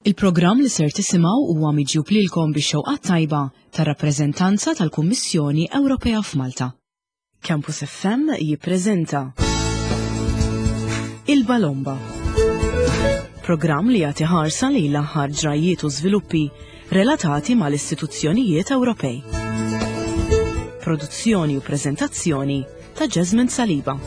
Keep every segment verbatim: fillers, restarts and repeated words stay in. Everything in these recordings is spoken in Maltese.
Il-programm li ser tisimgħu huwa miġjub lilkom bix-xewqa tajba tar-rappreżentanza tal-Kummissjoni Ewropea f'Malta. Campus F M jippreżenta Il-Balomba. Programm li jagħti ħarsa li l-aħħar ġrajiet u żviluppi relatati mal-istituzzjonijiet Ewropej. Produzzjoni u preżentazzjoni ta' Jasmine Saliba.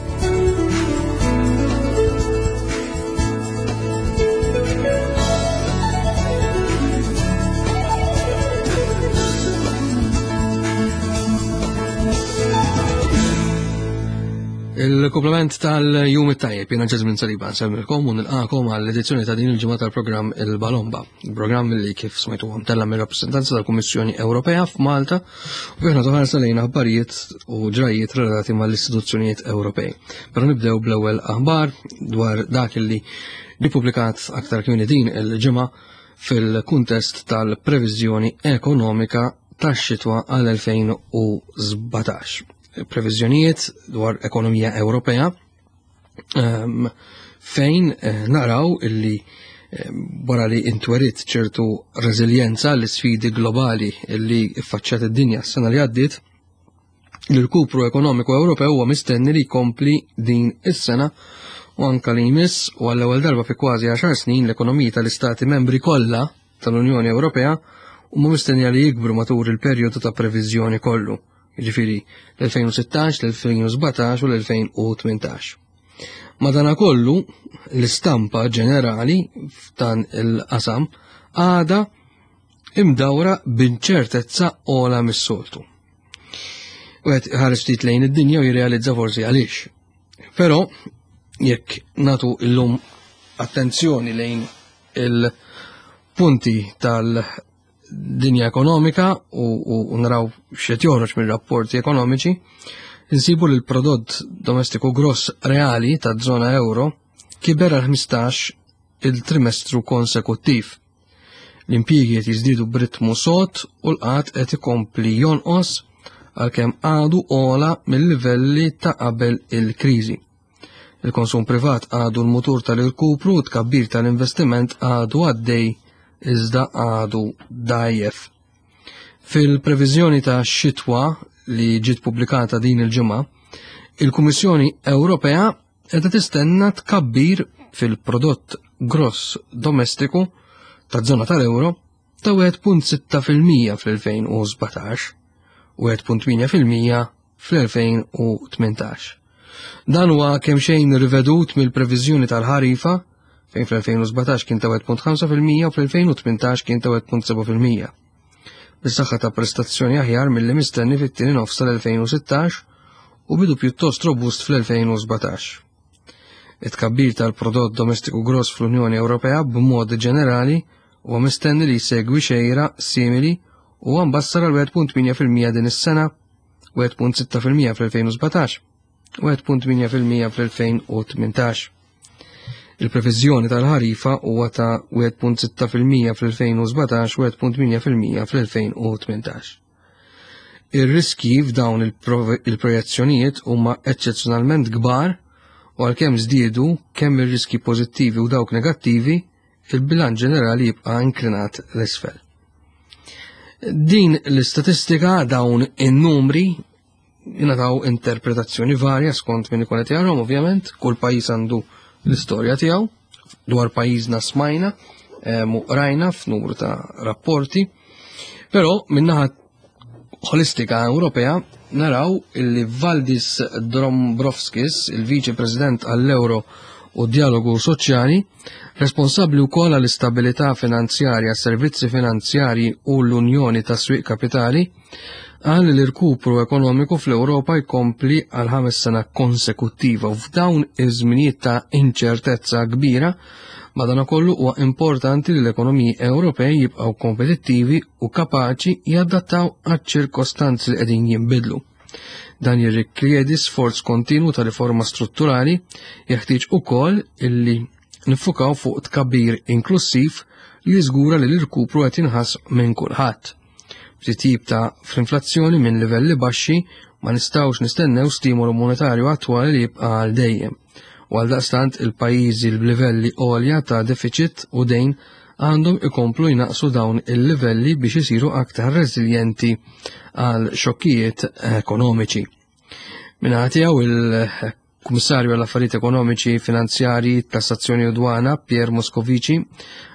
Il-komplement tal-jum it-tajjeb, jena Ġazmin Saliba, nsemmilkom u nilqakom għall-edizzjoni ta' din il-ġimgħa tal-programm Il-Balomba. Il-programm li kif smajtu għam tella mir-rappresentanza tal-Kummissjoni Ewropea f'Malta u aħna toħarsa lejn aħbarijiet u ġrajiet relatati mal-istituzzjonijiet Ewropej. Però nibdew bl-ewwel aħbar dwar dak li ppubblikat aktar kmieni din il-ġimgħa fil-kuntest tal-previżjoni ekonomika tax-xitwa għal elfejn u sbatax, previżjonijiet dwar ekonomija Ewropea um, fejn eh, naraw illi wara li intwerit ċertu reżiljenza l sfidi globali illi ffaċċat id-dinja s-sena li għaddiet, l-irkupru ekonomiku Ewropew huwa mistenni li jkompli din is-sena u anka li jmiss, u għall-ewwel darba fi kważi għaxar snin l-ekonomiji tal-istati membri kollha tal-Unjoni Ewropea huma mistennija li jikbru matul il-perjodu ta' previżjoni kollu, jiġifieri l-elfejn u sittax, l-elfejn u sbatax u l-elfejn u tmintax. Madana kollu, l-istampa ġenerali f'dan il-qasam għada imdawra b'inċertezza ogħla mis-soltu. Wieħed ħares ftit lejn id-dinja u jirrealizza forsi għaliex. Però jekk nagħtu illum attenzjoni lejn il-punti tal dinja ekonomika u, u, u naraw x'qed joħroġ mir-rapporti ekonomiċi, insibu li l-prodott domestiku gross reali ta' zona euro kiber għal ħmistax il-trimestru konsekuttiv. L-impjiegi qed jiżdiedu b'ritmu sod u l-qgħad qed ikompli jonqos, għalkemm għadu ogħla mill-livelli ta' qabel il-kriżi. Il-konsum privat għadu l-mutur tal-irkupru u tkabbir tal-investiment għadu għaddej, iżda għadu dajjef. Fil-previżjoni ta' xitwa li ġiet pubblikata din il-ġimgħa, il-Kummissjoni Ewropea qiegħda tistenna tkabbir fil-prodott gross domestiku ta' zona tal-euro ta' wieħed punt sitta fil-mija fl-elfejn u sbatax u wieħed punt tmienja fil-mija fl-elfejn u tmintax. Dan huwa kemm xejn rivedut mill-previżjoni tal-ħarifa, fejn fl-elfejn u sbatax kien ta' wieħed punt ħamsa fil-mija u fl-elfejn u tmintax kien ta' wieħed punt seba' fil-mija. Bis-saħħa ta' prestazzjoni aħjar milli mistenni fit-tieni nofs tal-elfejn u sittax u bidu pjuttost robust fl-elfejn u sbatax. It-tkabbir tal-prodott domestiku gross fl-Unjoni Ewropea b'mod ġenerali huwa mistenni li jsegwi xejra simili u mbassar għal wieħed punt tmienja fil-mija din is-sena, wieħed punt sitta fil-mija fl-elfejn u sbatax u wieħed punt tmienja fil-mija fl-elfejn u tmintax. Il-previżjoni tal-ħarifa huwa ta' wieħed punt sitta fil-mija fl-elfejn u sbatax u wieħed punt tmienja fil-mija fl-elfejn u tmintax. Ir-riski f'dawn il-projezzjonijiet huma eċċezzjonalment kbar u għalkemm żdiedu kemm ir-riski pożittivi u dawk negattivi, il-bilanċ ġenerali jibqa' inklinat l-isfel. Din l-istatistika, dawn in-numri jingħataw interpretazzjoni varja skont min ikun qed jarahom. Ovvjament, kull pajjiż għandu l-istorja tiegħu. Dwar pajjiżna smajna u rajna f'numru ta' rapporti, però minnaħa holistika Ewropea naraw illi Valdis Dombrovskis, il-Viċi President għall-Euro u Dialogu Soċjali, responsabbli wkoll għall-istabilità finanzjarja, servizzi finanzjarji u l-Unjoni ta' Swieq Kapitali, qal li l-irkupru ekonomiku fl-Ewropa jkompli għal ħames sena konsekuttiva u f'dawn iż-żminijiet ta' inċertezza kbira, madanakollu huwa importanti li l-ekonomiji Ewropej jibqgħu kompetittivi u kapaċi jadattaw għaċ-ċirkostanzi li qegħdin jinbidlu. Dan jirrikjedi sforz kontinu ta' riforma strutturali, jeħtieġ ukoll illi nifukaw fuq tkabbir inklusiv li jiżgura li l-irkupru qed jinħass minn kulħadd. Titjib ta' fl-inflazzjoni minn livelli baxxi, ma nistgħux nistennew stimolu monetarju attwali li jibqa' għal dejjem. U għal daqstant il-pajjiżi b'livelli għolja ta' deficit u dejn għandhom ikomplu jnaqsu dawn il-livelli biex isiru aktar reżiljenti għal xokkijiet ekonomiċi. Min-naħa tiegħu, il-Kummissarju għall affarijiet Ekonomiċi, Finanzjarji, Tassazzjoni u Dwana, Pierre Moscovici,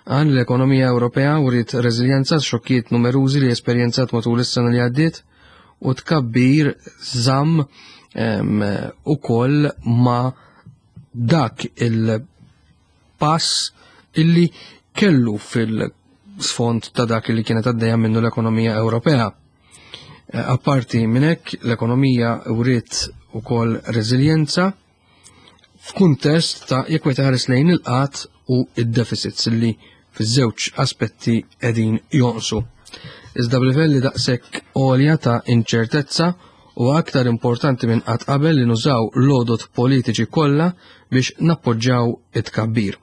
qal l-ekonomija Ewropea wriet reżiljenza xokkijiet numerużi li esperjenzat matul is-sena li għaddiet u tkabbir żamm ukoll ma dak il-pass illi kellu fil-sfond ta' dak li kienet għaddejja minnu l-ekonomija Ewropea. Eh, apparti minn hekk, l-ekonomija wriet ukoll reżiljenza f'kuntest ta' jekk wieħed ħares lejn il-qgħad u id-deficits li fiż-żewġ aspetti qegħdin jonqsu. Iżda b'livelli daqshekk għolja ta' inċertezza u aktar importanti minn qatt qabel li nużaw l-għodod politiċi kollha biex nappoġġjaw it-tkabbir.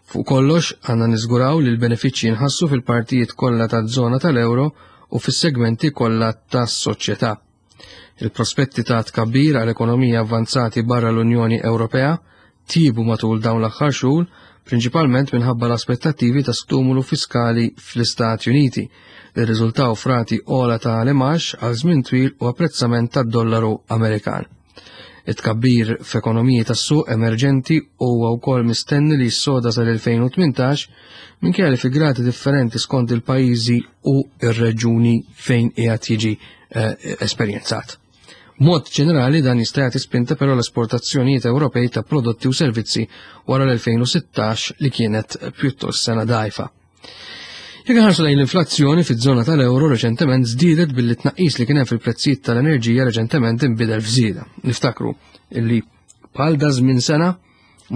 Fuq kollox, għandna niżguraw li l-benefiċċji jinħassu fil-partijiet kollha taż-żona tal-euro u fis-segmenti kollha tas-soċjetà. Il-prospetti ta' tkabbir għal ekonomija avvanzati barra l-Unjoni Ewropea tjiebu matul dawn l-aħħar xhur, prinċipalment minħabba l-aspettattivi ta' stimulu fiskali fl-Istati Uniti li rriżultaw f'rati ogħla ta' l-imgħax għal żmien twil u apprezzament tad-dollaru Amerikan. It-tkabbir f'ekonomiji tas-suq emerġenti huwa wkoll mistenni li jissoda sal-elfejn u tmintax, minkejja li fi gradi differenti skont il-pajjiżi u ir-reġuni fejn qiegħed jiġi eh, esperjenzat. Mod ġenerali, dan jista' jagħti spinta però l-esportazzjonijiet Ewropej ta' prodotti u servizzi wara l-elfejn u sittax li kienet pjuttost sena dgħajfa. Jekk ħarsu lejn l-inflazzjoni fiż-żona tal-euro, reċentement żdiedet billi tnaqqis li kien hemm fil-prezzijiet tal-enerġija reċentement inbidel f'żieda. Niftakru illi bħal da żmien sena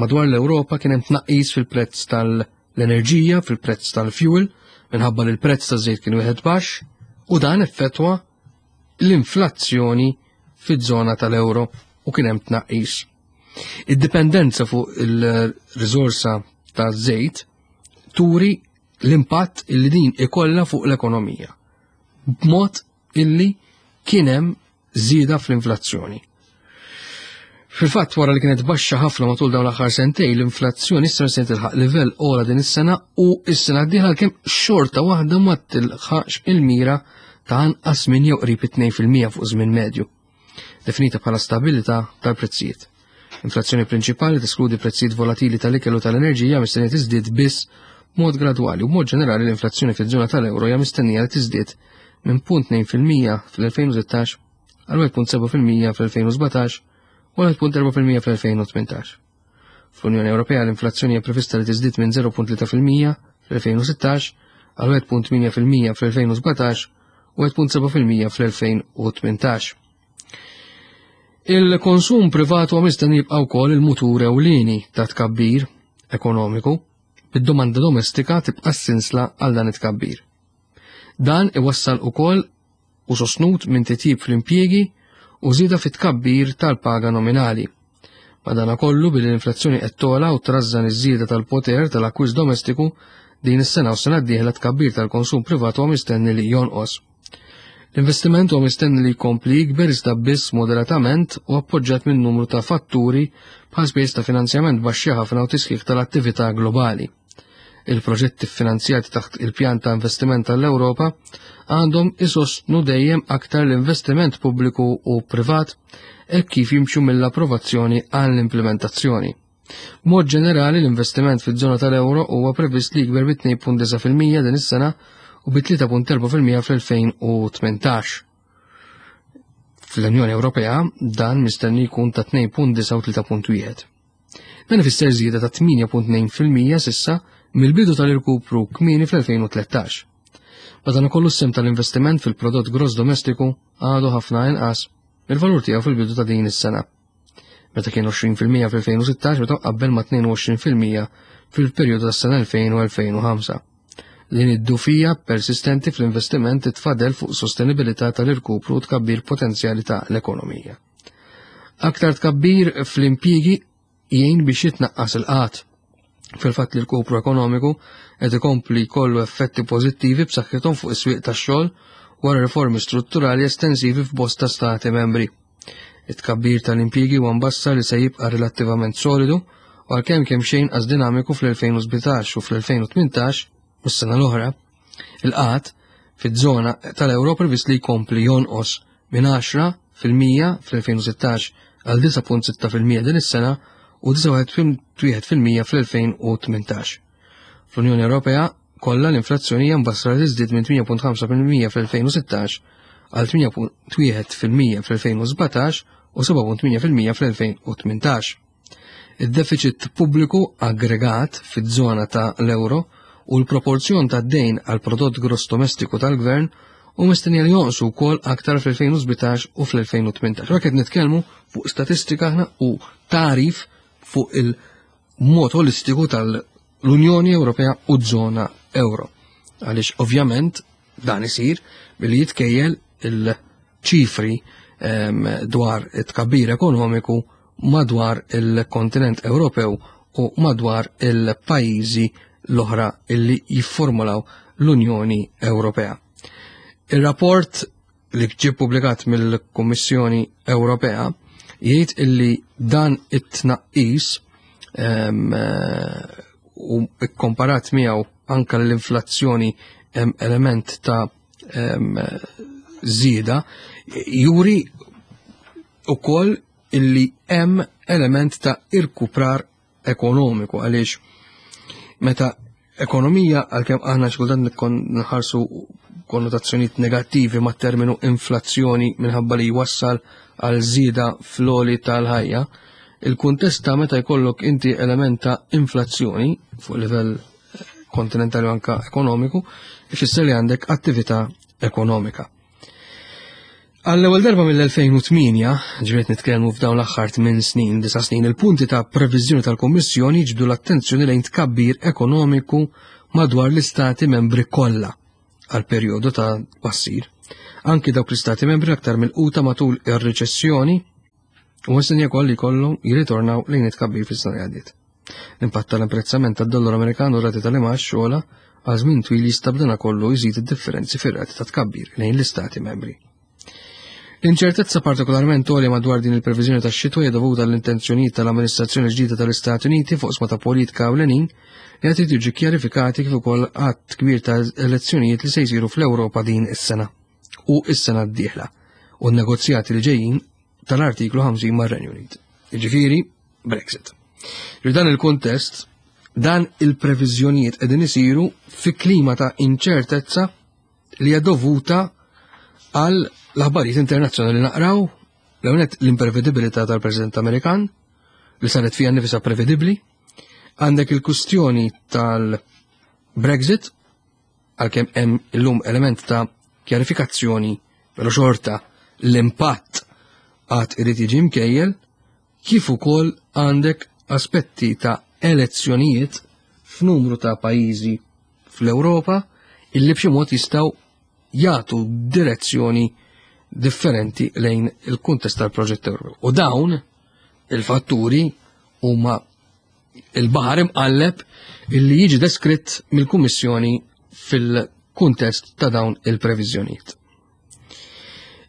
madwar l-Ewropa kien hemm tnaqqis fil-prezz tal-enerġija, fil-prezz tal-fuel, minħabba li l-prezz taż-żejt kien wieħed baxx u dan effettwa l-inflazzjoni fiż-żona tal-euro u kien hemm tnaqqis. Id-dipendenza fuq il-riżorsa taż-żejt turi l-impatt illi din ikolla fuq l-ekonomija. B'mod illi kien hemm żieda fl-inflazzjoni. Fil-fatt, wara li kienet baxxa ħafna matul dawn l-aħħar sentej, l-inflazzjoni issa se tilħaq livell ogħla din is-sena u s-sena d-dieħla, kemm xorta waħda ma tilħaqx il-mira ta' anqas minn jew qrib tnejn fil-mija fuq żmien medju, definita bħala stabilità tal-prezzijiet. Inflazzjoni prinċipali teskludi prezzijiet volatili tal-ikel u tal-enerġija mistennija tiżdied biss mod gradwali u mod ġenerali l-inflazzjoni fiż-żona tal-euro hija mistennija li tiżdied minn punt tnejn fil-mija fl-elfejn u sittax għal wieħed punt sebgħa fil-mija fl-elfejn u sbatax u wieħed punt erbgħa fil-mija fl-elfejn u tmintax. Fl-Unjoni Ewropea, l-inflazzjoni hija prevista li tiżdied minn żero punt tlieta fil-mija fl-elfejn u sittax għal wieħed punt tmienja fil-mija fl-elfejn u sbatax u wieħed punt sebgħa fil-mija fl-elfejn u tmintax. Il-konsum privat huwa mistenni jibqa' wkoll il-mutur ewlieni ta' tkabbir ekonomiku, bid-domanda domestika tibqa' sinsla għal dan it-tkabbir. Dan iwassal ukoll u sostnut minn titjib fl-impjiegi u żieda fit-tkabbir tal-paga nominali. Madana kollu, billi l-inflazzjoni qed togħla u trażżan iż-żieda tal-poter tal-akkwist domestiku, din is-sena u sena d-dieħla tkabbir tal-konsum privat huwa mistenni li jonqos. L-investiment huwa mistenni li jkompli jikber, iżda biss moderatament u appoġġjat minn numru ta' fatturi bħal spejjeż ta' finanzjament baxxi ħafna u tisħiħ tal-attività globali. Il-proġetti finanzjati taħt il-pjan ta' investiment tal-Ewropa għandhom isostnu dejjem aktar l-investiment pubbliku u privat e kif jimxu mill-approvazzjoni għall-implementazzjoni. Mod ġenerali, l-investiment fiż-żona tal-euro huwa previst li jikber bi tnejn punt disgħa fil-mija din is-sena u bi tlieta punt erbgħa fil-mija fl-elfejn u tmintax. Fl-Unjoni Ewropea dan mistenni jkun ta' tnejn punt disgħa u tlieta punt wieħed. Dan ifisser żieda ta' tmienja punt tnejn fil-mija s'issa mill-bidu tal-irkupru kmieni fl-elfejn u tlettax. Madankollu, s-sehem tal-investiment fil-prodott gross domestiku għadu ħafna inqas il-valur tiegħu fil-bidu ta' din is-sena, meta kien għoxrin fil-mija fil-elfejn u sittax meta qabel ma' tnejn u għoxrin fil-mija fil-perjodu tas-sena elfejn u elfejn u ħamsa. Din id-dgħufija persistenti fl-investiment titfa' dell fuq sostenibilità tal-irkupru u tkabbir potenzjali ta' l-ekonomija. Aktar tkabbir fl-impjiegi jgħin biex jitnaqqas il-qgħad. Fil-fatt li l-irkupru ekonomiku qed ikompli jkollu effetti pożittivi b'saħħithom fuq is-swieq tax-xogħol wara riformi strutturali estensivi f'bosta stati membri. It-tkabbir tal-impjiegi huwa mbassar li se jibqa' relattivament solidu u għalkemm kemm xejn inqas dinamiku fl-elfejn u sbatax u fl-elfejn u tmintax. u s-sena l-oħra, il-qgħad fiż-żona tal-euro previst li jkompli jonqos minn għaxra fil-mija fl-elfejn u sittax għal disgħa punt sitta fil-mija din is-sena u disgħa punt wieħed fil-mija fl-elfejn u tmintax. Fl-Unjoni Ewropea kollha l-inflazzjoni hija mbassra li tiżdied minn tmienja punt ħamsa fil-mija fl-elfejn u sittax għal tmienja punt wieħed fil-mija fl-elfejn u sbatax u seba' punt tmienja fil-mija fl-elfejn u tmintax. Id-deficit pubbliku aggregat fiż-żona ta' l-euro u l-proporzjon ta' dejn għal prodott gross domestiku tal-gvern u mistennija li jonqsu wkoll aktar fl-elfejn u sbatax u fl-elfejn u tmintax. Dak qed nitkellmu fuq statistika aħna u tarif fuq il-mod holistiku tal-Unjoni Ewropea u żona euro. Għaliex ovvjament dan isir billi jitkejjel il-ċifri, ehm, dwar it-tkabbir ekonomiku madwar il-kontinent Ewropew u madwar il-pajjiżi l-oħra illi jifformulaw l-Unjoni Ewropea. Il-rapport li ġie ppubblikat mill-Kummissjoni Ewropea jgħid illi dan it-tnaqqis, ehm, u kkomparat miegħu anka l-inflazzjoni hemm element ta', ehm, żieda, juri ukoll illi hemm element ta' irkuprar ekonomiku, għaliex meta ekonomija, għalkemm aħna xi kultant nkun nħarsu konnotazzjonijiet negattivi ma' terminu inflazzjoni minħabba li jwassal għal żieda fl-għoli tal-ħajja, il-kuntest ta' meta jkollok inti element ta' inflazzjoni fuq livell kontinentali u anka ekonomiku, ifisser li għandek attività ekonomika. Għall-ewwel darba mill-elfejn u tmienja, ġifieri nitkellmu f'dawn l-aħħar tmien snin, disa' snin, il-punti ta' previżjoni tal-Kummissjoni jiġbdu l-attenzjoni lejn tkabbir ekonomiku madwar l-istati membri kollha għal perjodu ta' tbassir. Anki dawk l-istati membri aktar milquta matul ir-riċessjoni u mistennija wkoll li jkollhom jirritornaw lejn it-tkabbir fis-sena li għaddiet. L-impatt tal-apprezzament tad-dollaru Amerikan u rati tal-imgħax xogħla għal żmien twil jista' b'dana kollu jżid id-differenzi fir-rati ta' tkabbir lejn l-istati membri. L-inċertezza partikolarment għolja madwar din il-previżjoni tax-xitwa hija dovuta għall-intenzjonijiet tal-amministrazzjoni ġdida tal-Istati Uniti fuq sma ta' politika ewlenin li qed jiġu kjarifikati kif ukoll għadd kbir ta' elezzjonijiet li se jsiru fl-Ewropa din is-sena u s-sena d-dieħla u n-negozjati li ġejjin tal-artiklu ħamsin mar-Renju Unit. Jiġifieri Brexit. F'dan il-kuntest, dan il-previżjonijiet qegħdin isiru fi klima ta' inċertezza li hija dovuta għal l-aħbarijiet internazzjonali li naqraw, l-ewwel l-imprevedibilità tal-President Amerikan li saret fiha nifisha prevedibbli, għandek il-kustjoni tal-Brexit, għalkemm hemm illum element ta' kjarifikazzjoni, però xorta l-impatt għad irid jiġi mkejjel, kif ukoll għandek aspetti ta' elezzjonijiet f'numru ta' pajjiżi fl-Ewropa illi b'xi mod jistgħu jagħtu direzzjoni differenti lejn il-kuntest tal-proġett Ewropew. U dawn il-fatturi huma il-baħar imqalleb illi jiġi deskritt mill-Kummissjoni fil-kuntest ta' dawn il-previżjonijiet.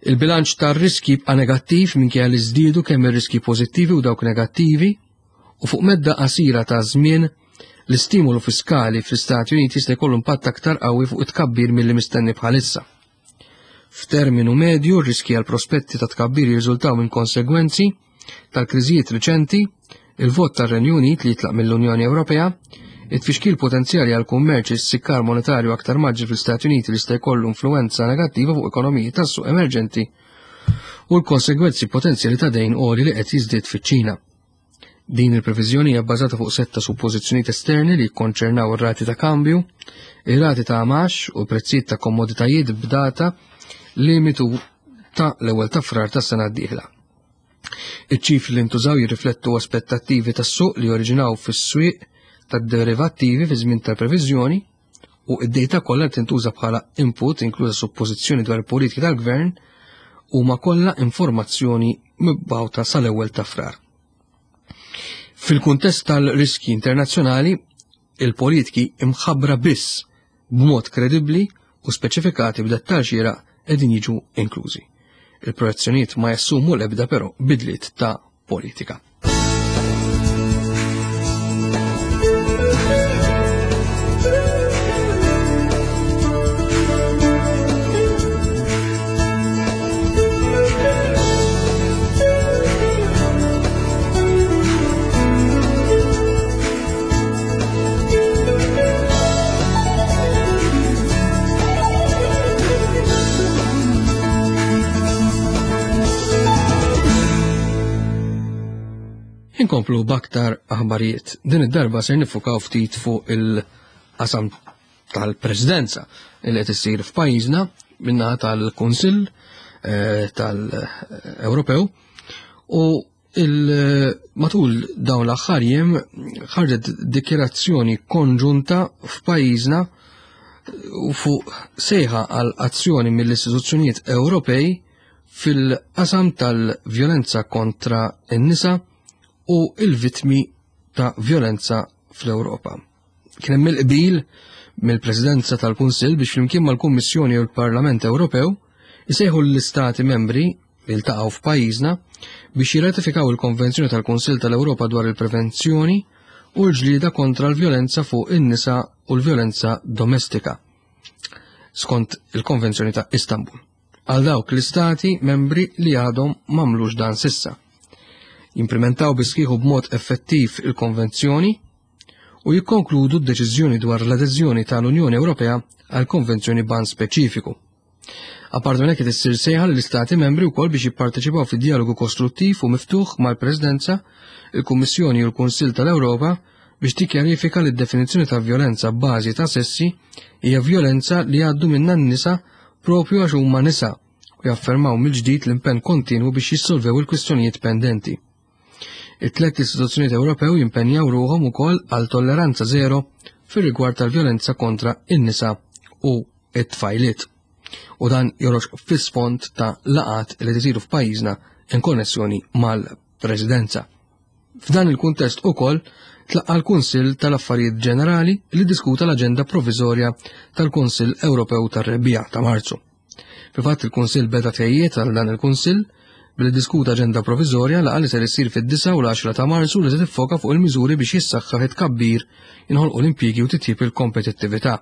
Il-bilanċ tar-riski jibqa' negattiv minkejja li żdiedu kemm ir-riski pożittivi u dawk negattivi, u fuq medda qasira ta' żmien l-istimolu fiskali fl-Istati Uniti jista' jkollu impatt aktar qawwi fuq it-tkabbir milli mistenni bħalissa. F'terminu medju, r-riski għal prospetti ta' tkabbir jirriżultaw minn konsegwenzi tal-kriżijiet riċenti, il-vot tar-Renju Unit li jitlaq mill-Unjoni Ewropea, it-tfixkil potenzjali għal kummerċ is-sikkar monetarju aktar maġġi fl-Istati Uniti li jista' jkollu influwenza negattiva fuq ekonomiji tas-suq emerġenti u l-konsegwenzi potenzjali ta' dejn għoli li qed jiżdied fiċ-Ċina. Din il-previżjoni hija bbażata fuq setta suppożizzjonijiet esterni li jikkonċernaw ir-rati ta' kambju, ir-rati ta' għamax u l-prezzijiet ta' komoditajiet b'data limitu ta' l-ewwel ta' Frar tas-sena d-dieħla. Iċ-ċifri li ntużaw jirriflettu aspettattivi tas-suq li oriġinaw fis-swieq tad-derivattivi fi żmien tal-previżjoni u id-data kollha li tintuża bħala input, inkluża suppożizzjoni dwar il-politiki tal-gvern, huma kollha informazzjoni mibgħuta sal-ewwel ta' Frar. Fil-kuntest tal-riski internazzjonali, il-politiki imħabbra biss b'mod kredibbli u speċifikati b'dettall xieraq qegħdin jiġu inklużi. Il-projezzjonijiet ma jassumu l-ebda però bidliet ta' politika. Inkomplu b'aktar aħbarijiet. Din id-darba ser nifukaw ftit fuq il-qasam tal-Presidenza li qed issir f'pajjiżna min-naħa tal-Kunsill eh, tal-Ewropew u matul dawn l-aħħar jiem ħarġet dikjerazzjoni konġunta f'pajjiżna u fuq sejħa għal azzjoni mill-istituzzjonijiet Ewropej fil-qasam tal-vjolenza kontra n-nisa u il-vittmi ta' vjolenza fl-Ewropa. Kien hemm il-qbil mill-Presidenza tal-Kunsill biex flimkien mal-Kummissjoni u l-Parlament Ewropew isejħu l-Istati membri li ltaqgħu f'pajjiżna biex jirratifikaw il-Konvenzjoni tal-Kunsill tal-Ewropa dwar il-prevenzjoni u l-ġlieda kontra l-vjolenza fuq in-nisa u l-vjolenza domestika skont il-Konvenzjoni ta' Istanbul għal dawk l-istati membri li għadhom m'għamlux dan sissa. Jimplementaw bis-sħiħ u b'mod effettiv il-konvenzjoni u jikkonkludu d-deċiżjoni dwar l-adeżjoni tal-Unjoni Ewropea għal konvenzjoni ban speċifiku. Apart minn hekk issir sejħa l-istati membri wkoll biex jipparteċipaw fi dialogu kostruttiv u miftuħ mal-Presidenza, il-Kummissjoni u l-Kunsill tal-Ewropa biex tikkjarifika li d-definizzjoni ta' vjolenza b'bażi ta' sessi hija vjolenza li għaddu minnha n-nisa propju għax huma nisa u jaffermaw mill-ġdid l-impenn kontinwu biex jissolvew il-kwistjonijiet pendenti. It-tlet istituzzjonijiet Ewropew jimpenjaw ruħhom ukoll għal tolleranza zero fir-rigward tal-vjolenza kontra in-nisa u it-tfajliet. U dan joħroġ fis-sfond ta' laqat li tisiru f'pajjiżna in konnessjoni mal-Presidenza. F'dan il-kuntest ukoll tlaqqa l-Kunsill tal-Affarijiet Ġenerali li diskuta l-aġenda provviżorja tal-Kunsill Ewropew tar-Rebbiegħa ta' Marzu. Fil-fatt il-Kunsill beda tħejjiet għal dan il-Kunsill billi diskuta aġenda provviżorja laqgħa li ser issir fid-disgħa u l-għaxra ta' Marzu li se tiffoka fuq il-miżuri biex jissaħħaħ it-tkabbir, jinħolqu l-impjiegi u titjib il-kompetittività.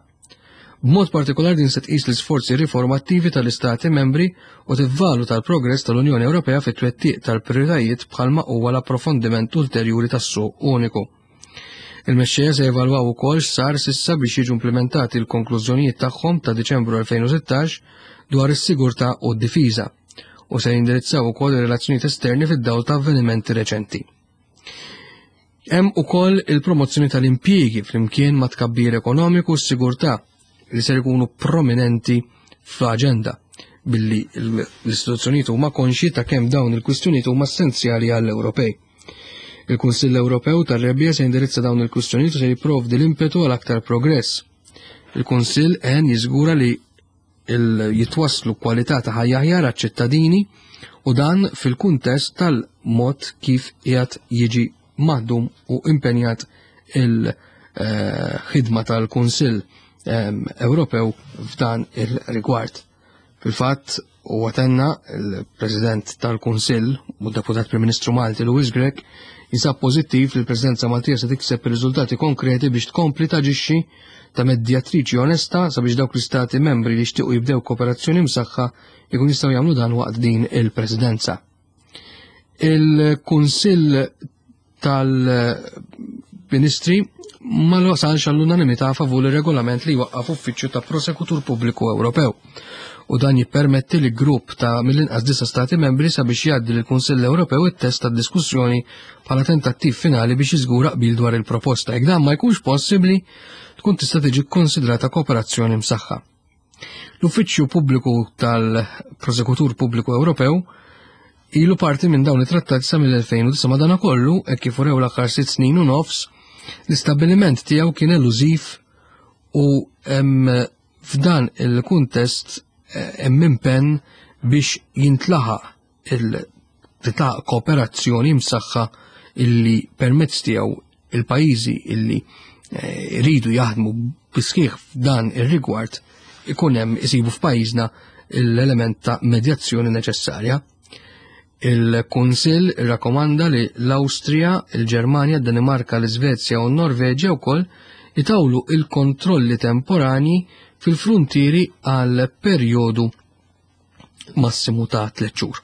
B'mod partikolari din se tqis l-isforzi riformattivi tal-Istati membri u tivvaluta l-progress tal-Unjoni Ewropea fit-twettiq tal-prijoritajiet bħalma huwa l-approfondiment ulterjuri tas-suq uniku. Il-mexxejja se jevalwaw ukoll x'sar sissa biex jiġu implementati l-konklużjonijiet tagħhom ta' Diċembru elfejn u sittax dwar is-sigurtà u d-difiża u se jindirizzaw ukoll ir-relazzjonijiet esterni fid-dawl ta' avvenimenti reċenti. Hemm ukoll il-promozzjoni tal-impjiegi flimkien ma' tkabbir ekonomiku u s-sigurtà li ser ikunu prominenti fl-aġenda billi l-istituzzjonijiet huma konxji ta' kemm dawn il-kwistjonijiet huma essenzjali għall-Ewropej. Il-Kunsill Ewropew tar-Rebbiegħa se jindirizza dawn il-kwistjonijiet u se jipprovdi l-impetu għal aktar progress. Il-Kunsill għen jiżgura li jitwasslu kwalità ta' ħajja aħjar għaċ-ċittadini u dan fil-kuntest tal-mod kif qiegħed jiġi maħdum u impenjat il-ħidma tal-Kunsill Ewropew f'dan il-rigward. Fil-fatt, huwa tenna il-President tal-Kunsill u Deputat Prim Ministru Malti Louis Grech jinsab pożittiv li l-Presidenza Maltija se tikseb riżultati konkreti biex tkompli taġixxi ta' medjatriċi onesta sabiex dawk l-istati membri li jixtiequ jibdew kooperazzjoni msaħħa jkun jistgħu jagħmlu dan waqt din il-Presidenza. Il-Kunsill tal-Ministri ma wasalx għall-unanimità favur ir-regolament li jwaqqaf uffiċċju ta' Prosekutur Pubbliku Ewropew u dan jippermetti li grupp ta' mill-inqas disa' stati membri sabiex jgħaddi lill-Kunsill Ewropew it-test tad-diskussjoni bħala tentattiv finali biex jiżgura qbil dwar il-proposta. Jekk dan ma jkunx possibbli, tkun tista' tiġi kkonsidrata kooperazzjoni msaħħa. L-Uffiċċju Pubbliku tal-Prosekutur Pubbliku Ewropew ilu parti minn dawn it-trattati sa mill-elfejn u disa' madanakollu, hekk kif urew l-aħħar sitt snin u nofs, l-istabbiliment tiegħu kien elużiv u f'dan il-kuntest hemm impenn biex jintlaħaq il-titaq kooperazzjoni msaħħa illi permezz tiegħu il-pajjiżi illi iridu jaħdmu bisħieħ f'dan ir-rigward ikun hemm isibu f'pajjiżna l-element ta' medjazzjoni neċessarja. Il-Kunsill irrakkomanda li l-Awstrija, il-Ġermanja, d-Danimarka, l-Iżvezja u n-Norveġja wkoll itawlu il-kontrolli temporani fil-frontieri għal perjodu massimu ta' tliet xhur.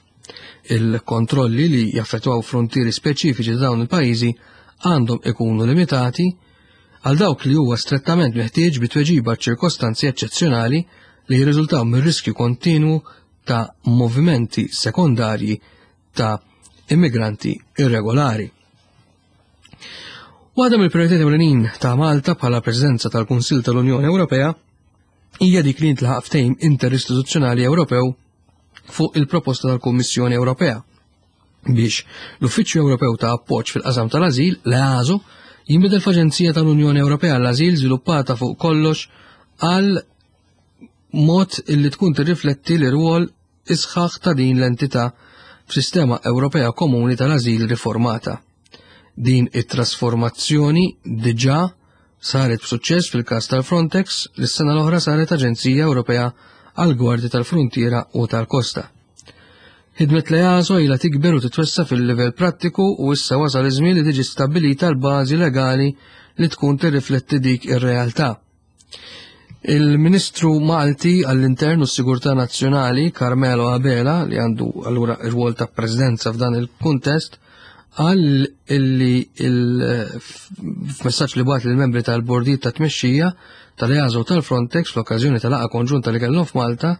Il-kontrolli li jaffettwaw frontieri speċifiċi ta' dawn il-pajjiżi għandhom ikunu limitati għal dawk li huwa strettament meħtieġ bi tweġiba ċirkostanzi eċċezzjonali li jirriżultaw mir-riskju kontinwu ta' movimenti sekondarji ta' immigranti irregolari. Waħda mill-prijoritajiet ewlenin ta' Malta bħala Presidenza tal-Kunsill tal-Unjoni Ewropea hija dik li jintlaħaq ftehim interistituzzjonali Ewropew fuq il-proposta tal-Kummissjoni Ewropea biex l-Uffiċċju Ewropew ta' Appoġġ fil-qasam tal-Ażil, l-E A S O, jinbidel f'Aġenzija tal-Unjoni Ewropea għall-Ażil żviluppata fuq kollox għal mod illi tkun tirrifletti l-irwol isħaħ ta' din l-entità f'sistema Ewropea komuni tal-ażil riformata. Din it-trasformazzjoni diġà saret b'suċċess fil-każ tal-Frontex li s-sena l-oħra saret Aġenzija Ewropea għall-Gwardja tal-Fruntiera u tal-Kosta. Ħidmet l-E A S O ilha tikber u titwessa fil-livell prattiku u issa wasal iż-żmien li tiġi stabbilita l-bażi legali li tkun tirrifletti dik ir-realtà. Il-Ministru Malti għall-Intern u s-Sigurtà Nazzjonali, Carmelo Abela, li għandu allura ir-rwol ta' presidenza f'dan il-kuntest, qal illi f'messaġġ li bagħat lill-membri tal-bordijiet ta' tmexxija tal-E A S O u tal-Frontex fl-okkażjoni tal-laqgħa konġunta li kellhom f'Malta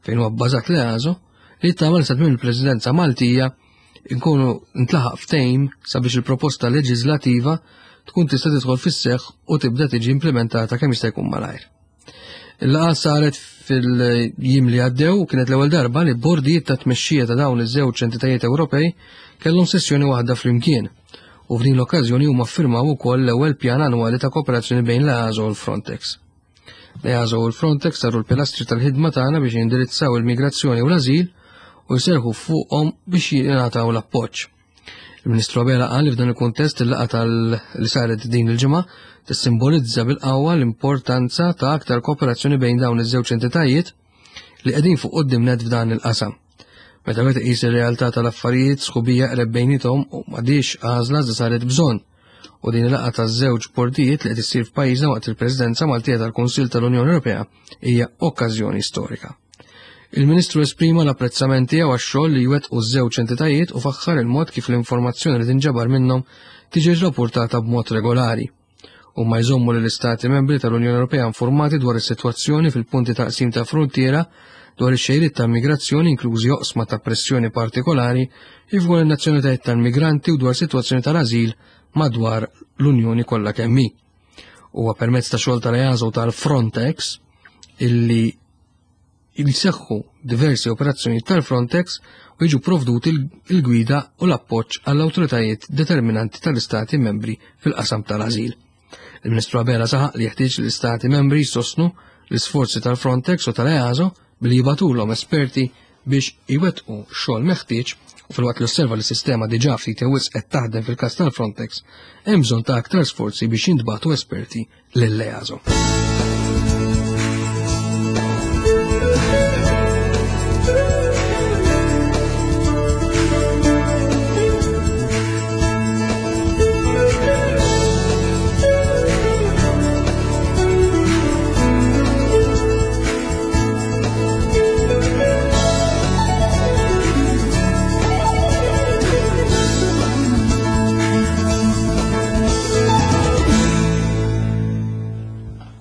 fejn huwa bbażat l-E A S O, li tagħmel sa tmiem il-Presidenza Maltija nkunu ntlaħaq ftehim sabiex il-proposta leġislativa tkun tista' tidħol fis-seħħ u tibda tiġi implementata kemm jista' jkun malajr. Il-laqgħa saret fil-jiem li għaddew u kienet l-ewwel darba li bordijiet ta' tmexxija ta' dawn iż-żewġ entitajiet Ewropej kellhom sessjoni waħda flimkien u f'din l-okkażjoni huma ffirmaw ukoll l-ewwel pjan annwali ta' kooperazzjoni bejn l-E A S O u l-Frontex. L-E A S O u l-Frontex saru l-pilastri tal-ħidma tagħna biex jindirizzaw il-migrazzjoni u l-ażil u jserħu fuqhom biex jingħataw l-appoġġ. Il-Ministru Abela qal li f'dan il-kuntest il-laqgħa tal li saret din il-ġimgħa tissimbolizza bil-qawwa l-importanza ta' aktar kooperazzjoni bejn dawn iż-żewġ entitajiet li qegħdin fuq quddiem net f'dan il-qasam. Meta wieħed iqis ir-realtà tal-affarijiet, sħubija qreb bejniethom u m'għadix għażla iżda saret bżonn. U din il-laqgħa taż-żewġ bordijiet li qed issir f'pajjiżna waqt il-Presidenza Maltija tal-Kunsill tal-Unjoni Ewropea hija okkażjoni storika. Il-Ministru esprima l-apprezzament tiegħu għax-xogħol li jwettqu ż-żewġ entitajiet u faħħar il-mod kif l-informazzjoni li tinġabar minnhom tiġi rrapportata b'mod regolari. Huma jżommu lill-Istati membri tal-Unjoni Ewropea informati dwar is-sitwazzjoni fil-punti ta' qsim ta' fruntiera, dwar ix-xejriet ta' migrazzjoni, inklużi oqsma ta' pressjoni partikolari, kif ukoll in-nazzjonalitajiet tal-migranti, u dwar sitwazzjoni tal-ażil madwar l-Unjoni kollha kemm hi. Huwa permezz ta' xogħol tal-E A S O tal-Frontex illi jseħħu diversi operazzjoni tal-Frontex u jiġu provduti il-gwida u l-appoġġ għall-awtoritajiet determinanti tal-Istati membri fil-qasam tal-ażil. Il-Ministru Abela saħaq li jeħtieġ l-Istati membri jsostnu l-isforzi tal-Frontex u tal-E A S O billi jibagħtulhom esperti biex iwettqu xogħol meħtieġ, u filwaqt li osserva li s-sistema diġà ftit wisq qed taħdem fil-każ tal-Frontex, hemm bżonn ta' aktar sforzi biex jintbagħtu esperti lill-E A S O.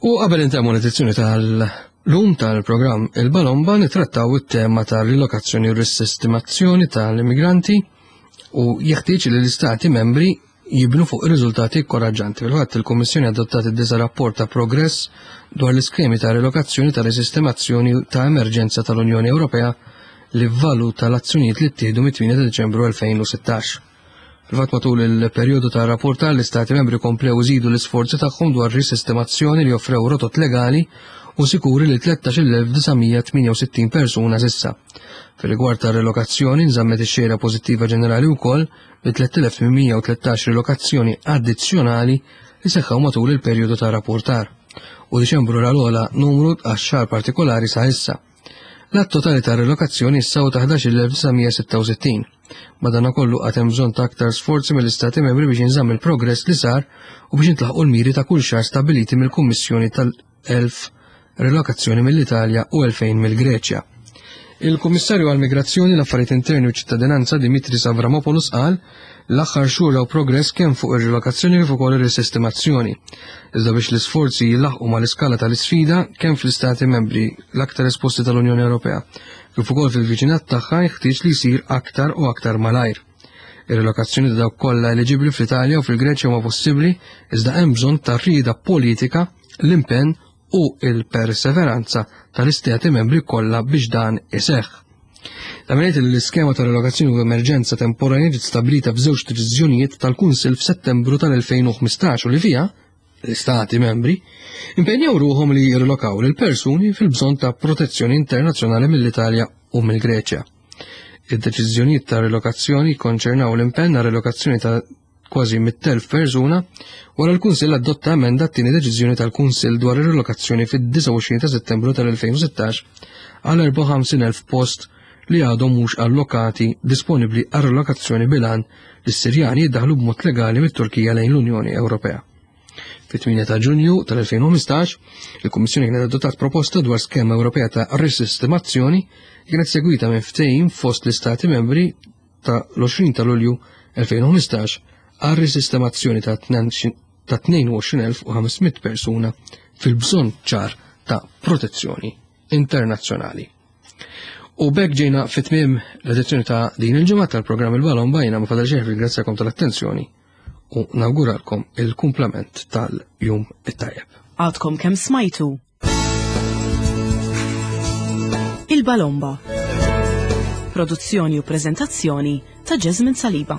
U qabel intemmu l-edizzjoni tal-lum tal-programm Il-Balomba, nitrattaw it-tema tal-rilokazzjoni u risistemazzjoni tal-immigranti u jeħtieġ li l-istati membri jibnu fuq ir-riżultati inkoraġġanti. Fil-fatt, il-Kummissjoni adottat id-disa' rapport ta' progress dwar l-iskemi ta' rilokazzjoni ta' risistemazzjoni ta' emerġenza tal-Unjoni Ewropea li valuta l-azzjonijiet li ttieħdu mit-tmienja ta' Deċembru elfejn u sittax. Fil-fatt, matul il-perjodu ta' rapportar l-Istati membri komplew iżidu l-isforzi tagħhom dwar risistemazzjoni li offrew rotot legali u sikuri li tlettax-il elf disa' mija tmienja u sittin persuna s'issa. Fil-rigward ta' relokazzjoni, nżammet ix-xejra pożittiva ġenerali wkoll bi tliet elef tmien mija u tlettax relokazzjoni addizzjonali li seħħaw matul il-perjodu ta' rapportar. U Diċembru ra l-ogħla numru għax-xahar partikolari sa issa. L-għadd totali ta' relokazzjoni issa ta' ħdax-il elf disa' mija sitta u sittin. Madanakollu għad hemm bżonn ta' aktar sforzi mill-Istati membri biex jinżamm il-progress li sar u biex jintlaħqu l-miri ta' kull xahar stabiliti mill-Kummissjoni tal-elf relokazzjoni mill-Italja u elfejn mill-Greċja. Il-Kummissarju għall-Migrazzjoni, l-Affarijiet Interni u Ċittadinanza Dimitris Avramopoulos qal l-aħħar xhur raw progress kemm fuq ir-relokazzjoni kif ukoll ir-risistemazzjoni. Iżda biex l-isforzi jilaħqu mal-iskala tal-isfida kemm fl-istati membri l-aktar esposti tal-Unjoni Ewropea kif ukoll fil-viċinat tagħha, jeħtieġ li jsir aktar u aktar malajr. Ir-relokazzjoni ta' dawk kollha eliġibbli fl-Italja u fil-Greċja huma possibbli iżda hemm bżonn ta' rieda politika, l-impenn u il-perseveranza tal-istati membri kollha biex dan iseħħ. Ta' li l-iskema ta' relokazzjoni u emerġenza temporanja ġiet stabbilita f'żewġ deċiżjonijiet tal-Kunsill f'Settembru tal-elfejn u ħmistax u li fiha l-istati membri impenjaw ruħhom li jirrilokaw lil persuni fil-bżonn ta' protezzjoni internazzjonali mill-Italja u mill-Greċja. Id-deċiżjonijiet ta' relokazzjoni konċernaw l-impenn għal relokazzjoni ta' kważi mitt elf persuna wara l-Kunsill adotta emenda t-tieni deċiżjoni tal-Kunsill dwar ir-relokazzjoni fid-disgħa u għoxrin ta' Settembru tal-elfejn u sittax għal erbgħa u ħamsin elf post li għadhom mhux allokati disponibbli għal relokazzjoni bil-għan li s-Sirjani jiddaħlu b'mod legali mit-Turkija lejn l-Unjoni Ewropea. Fit-tmienja ta' Ġunju tal-elfejn u ħmistax, il-Kummissjoni kienet adottat proposta dwar skema Ewropea ta' risistemazzjoni li kienet segwita minn ftehim fost l-Istati membri ta' l-għoxrin ta' Lulju elfejn u ħmistax għal risistemazzjoni ta' ta' tnejn u għoxrin elf u ħames mitt persuna fil-bżonn ċar ta' protezzjoni internazzjonali. U b'hekk ġejna fit-tmiem l-edizzjoni ta' din il-ġimgħa tal-programm Il-Balomba. Jiena ma fadal xejn ringrazzjakom tal-attenzjoni u nawguralkom il-kumplament tal-jum it-tajjeb. Għadkom kemm smajtu Il-Balomba. Produzzjoni u preżentazzjoni ta' Jasmine Saliba.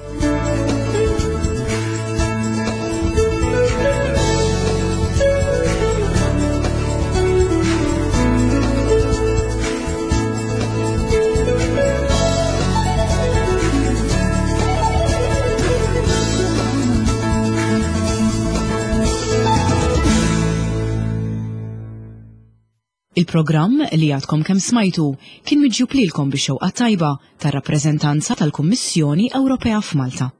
Il-programm li għadkom kemm smajtu kien miġjub lilkom bix-xewqa tajba tar-rappreżentanza tal-Kummissjoni Ewropea f'Malta.